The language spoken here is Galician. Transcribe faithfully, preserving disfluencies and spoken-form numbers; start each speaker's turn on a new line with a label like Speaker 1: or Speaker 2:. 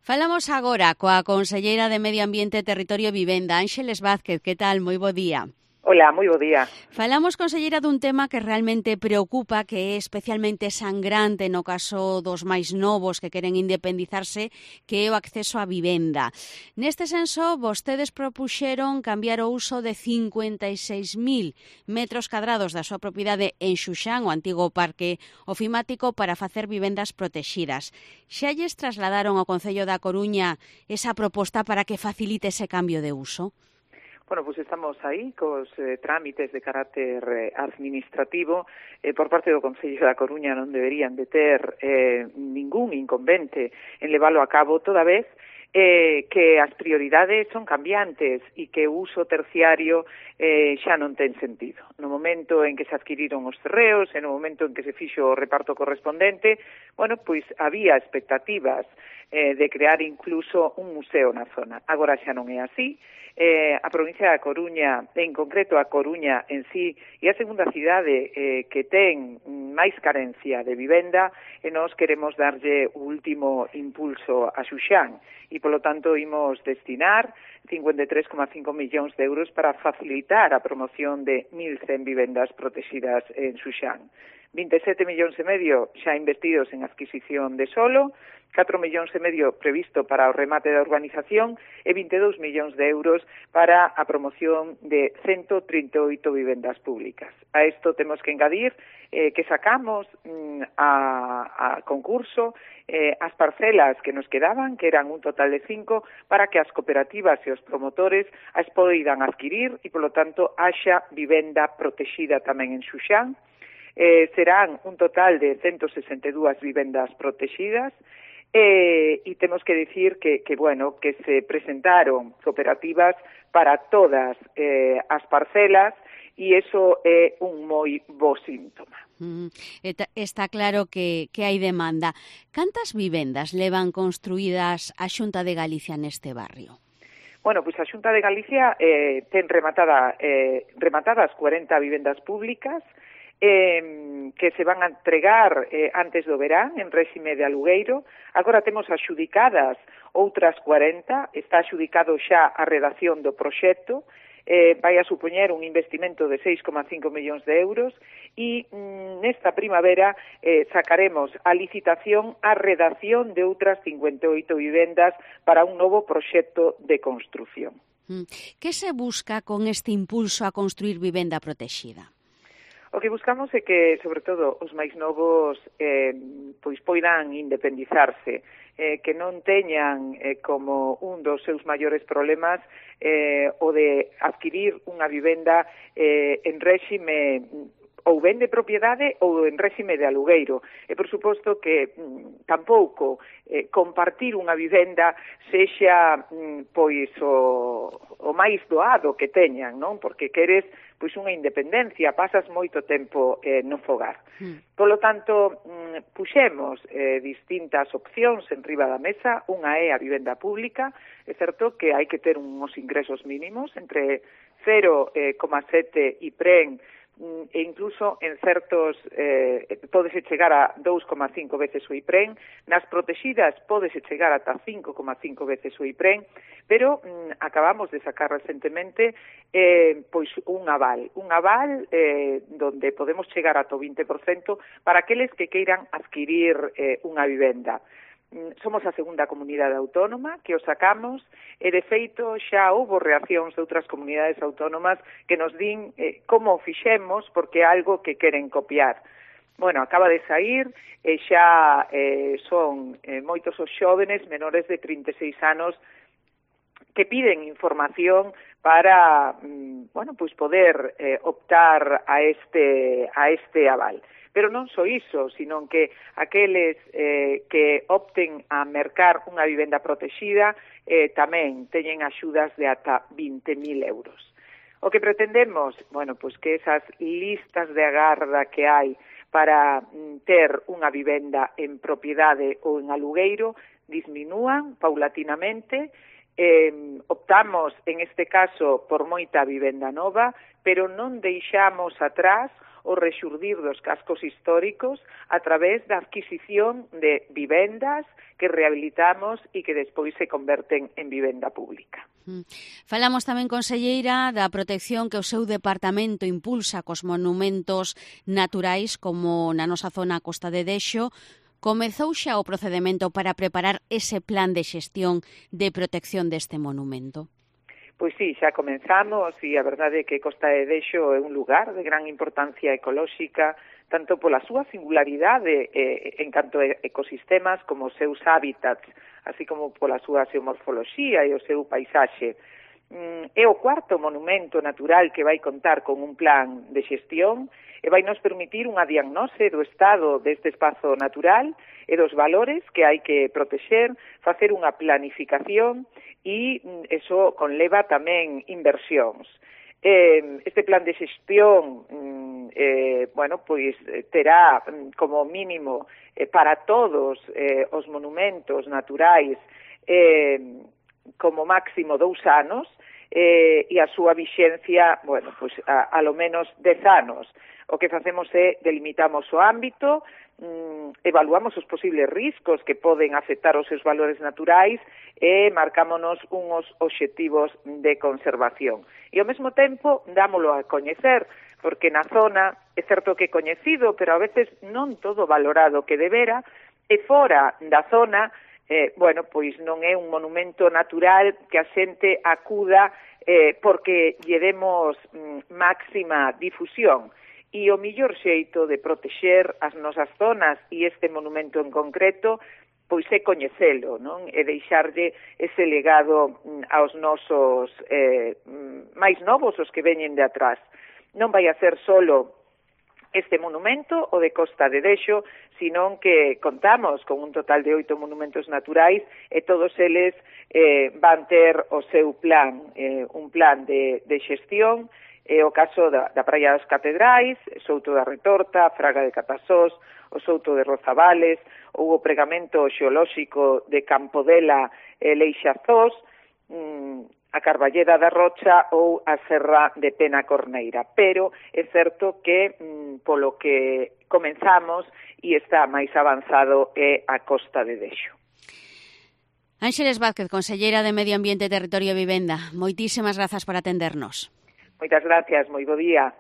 Speaker 1: Falamos agora coa conselleira de Medio Ambiente, Territorio e Vivenda, Ánxeles Vázquez. Que tal? Moi bo día.
Speaker 2: Hola, moi bo día.
Speaker 1: Falamos, conselleira, dun tema que realmente preocupa, que é especialmente sangrante no caso dos máis novos que queren independizarse, que é o acceso á vivenda. Neste senso, vostedes propuxeron cambiar o uso de cincuenta e seis mil metros cadrados da súa propiedade en Xuxán, o antigo parque ofimático, para facer vivendas protexidas. Xa lles trasladaron ao Concello da Coruña esa proposta para que facilite ese cambio de uso?
Speaker 2: Bueno, pues estamos aí cos eh, trámites de carácter eh, administrativo. Eh, por parte do Concello da Coruña non deberían de ter eh, ningún inconvente en leválo a cabo, toda vez eh, que as prioridades son cambiantes e que o uso terciario eh, xa non ten sentido. No momento en que se adquiriron os terreos, en o momento en que se fixo o reparto correspondente, bueno, pois había expectativas eh, de crear incluso un museo na zona. Agora xa non é así. Eh, a provincia da Coruña, en concreto a Coruña en sí, e a segunda cidade eh, que ten máis carencia de vivenda, e nós queremos darlle o último impulso a Xuxán, e polo tanto imos destinar cincuenta e tres coma cinco millóns de euros para facilitar a promoción de mil cen vivendas protegidas en Xuxán. vinte e sete millóns e medio xa investidos en adquisición de solo, catro millóns e medio previsto para o remate da urbanización e vinte e dous millóns de euros para a promoción de ciento trinta e oito vivendas públicas. A isto temos que engadir eh, que sacamos mm, a, a concurso eh, as parcelas que nos quedaban, que eran un total de cinco, para que as cooperativas e os promotores as poidan adquirir e, polo tanto, haxa vivenda protexida tamén en Xuxán. Eh, serán un total de ciento sesenta e dúas vivendas protegidas. Eh, e temos que dicir que, que, bueno, que se presentaron cooperativas para todas eh, as parcelas e iso é un moi bo síntoma.
Speaker 1: Mm, está claro que, que hai demanda. Cantas vivendas levan construídas a Xunta de Galicia neste barrio?
Speaker 2: Bueno, pois pues a Xunta de Galicia eh, ten rematada, eh, rematadas cuarenta vivendas públicas, Eh, que se van a entregar eh, antes do verán en réxime de alugueiro. Agora temos axudicadas outras cuarenta, está axudicado xa a redacción do proxecto, eh, vai a supoñer un investimento de seis coma cinco millóns de euros e mm, nesta primavera eh, sacaremos a licitación a redacción de outras cincuenta e oito vivendas para un novo proxecto de construción.
Speaker 1: Que se busca con este impulso a construir vivenda protexida?
Speaker 2: O que buscamos é que, sobre todo, os máis novos eh, pois poidan independizarse, eh, que non teñan eh, como un dos seus maiores problemas eh, o de adquirir unha vivenda eh, en réxime ou ben de propiedade ou en réxime de alugueiro. E, por suposto, que mm, tampouco eh, compartir unha vivenda sexa mm, pois o, o máis doado que teñan, non? Porque queres pois unha independencia, pasas moito tempo eh, no fogar. Mm. Polo tanto, mm, puxemos eh, distintas opcións en riba da mesa. Unha é a vivenda pública. É certo que hai que ter uns ingresos mínimos entre cero coma sete I P R E N e incluso en certos eh, pódese chegar a dous coma cinco veces o I P R E N, nas protegidas pódese chegar ata cinco coma cinco veces o I P R E N, pero mm, acabamos de sacar recentemente eh, pois un aval, un aval eh, donde podemos chegar ata o vinte por cento para aqueles que queiran adquirir eh, unha vivenda. Somos a segunda comunidade autónoma que o sacamos e, de feito, xa houve reaccións de outras comunidades autónomas que nos din eh, como o fixemos porque é algo que queren copiar. Bueno, acaba de sair e xa eh, son eh, moitos os xóvenes menores de trinta e seis anos que piden información para, mm, bueno, pois poder eh, optar a este, a este aval. Pero non só iso, sino que aqueles eh, que opten a mercar unha vivenda protexida eh, tamén teñen axudas de ata vinte mil euros. O que pretendemos, bueno, pois que esas listas de agarda que hai para mm, ter unha vivenda en propiedade ou en alugueiro disminúan paulatinamente. Eh, optamos, en este caso, por moita vivenda nova, pero non deixamos atrás o rexurdir dos cascos históricos a través da adquisición de vivendas que rehabilitamos e que despois se converten en vivenda pública.
Speaker 1: Falamos tamén, conselleira, da protección que o seu departamento impulsa cos monumentos naturais, como na nosa zona Costa de Dexo. Comezou xa o procedemento para preparar ese plan de xestión de protección deste monumento?
Speaker 2: Pois sí, xa comenzamos e a verdade é que Costa de Dexo é un lugar de gran importancia ecolóxica, tanto pola súa singularidade eh, en canto a ecosistemas como os seus hábitats, así como pola súa xeomorfoloxía e o seu paisaxe. Mm, é o cuarto monumento natural que vai contar con un plan de xestión e vai nos permitir unha diagnose do estado deste espazo natural e dos valores que hai que protexer, facer unha planificación e eso conleva tamén inversións. Eh, este plan de xestión eh, bueno, pois terá como mínimo eh, para todos eh, os monumentos naturais eh, como máximo dous anos eh, e a súa vixencia, bueno, pois a, a lo menos dez anos. O que facemos é delimitamos o ámbito, mm, evaluamos os posibles riscos que poden afectar os seus valores naturais e marcámonos uns obxectivos de conservación. E ao mesmo tempo dámolo a coñecer, porque na zona é certo que é coñecido, pero a veces non todo valorado que debera, e fora da zona, eh, bueno, pois non é un monumento natural que a xente acuda eh, porque lle demos mm, máxima difusión. E o millor xeito de protexer as nosas zonas e este monumento en concreto pois é coñecelo, non? E deixarlle ese legado aos nosos eh, máis novos, os que veñen de atrás. Non vai a ser solo este monumento, o de Costa de Dexo, senón que contamos con un total de oito monumentos naturais e todos eles eh, van ter o seu plan, eh, un plan de, de xestión. É o caso da, da Praia das Catedrais, Souto da Retorta, Fraga de Catasós, o Souto de Rozabales, ou o pregamento xeolóxico de Campodela e Leixazós, mmm, a Carballeda da Rocha ou a Serra de Penacorneira. Pero é certo que, mmm, polo que comenzamos e está máis avanzado é a Costa de Dexo.
Speaker 1: Ánxeles Vázquez, conselleira de Medio Ambiente, Territorio e Vivenda, moitísimas grazas por atendernos.
Speaker 2: Moitas gracias, moi bo día.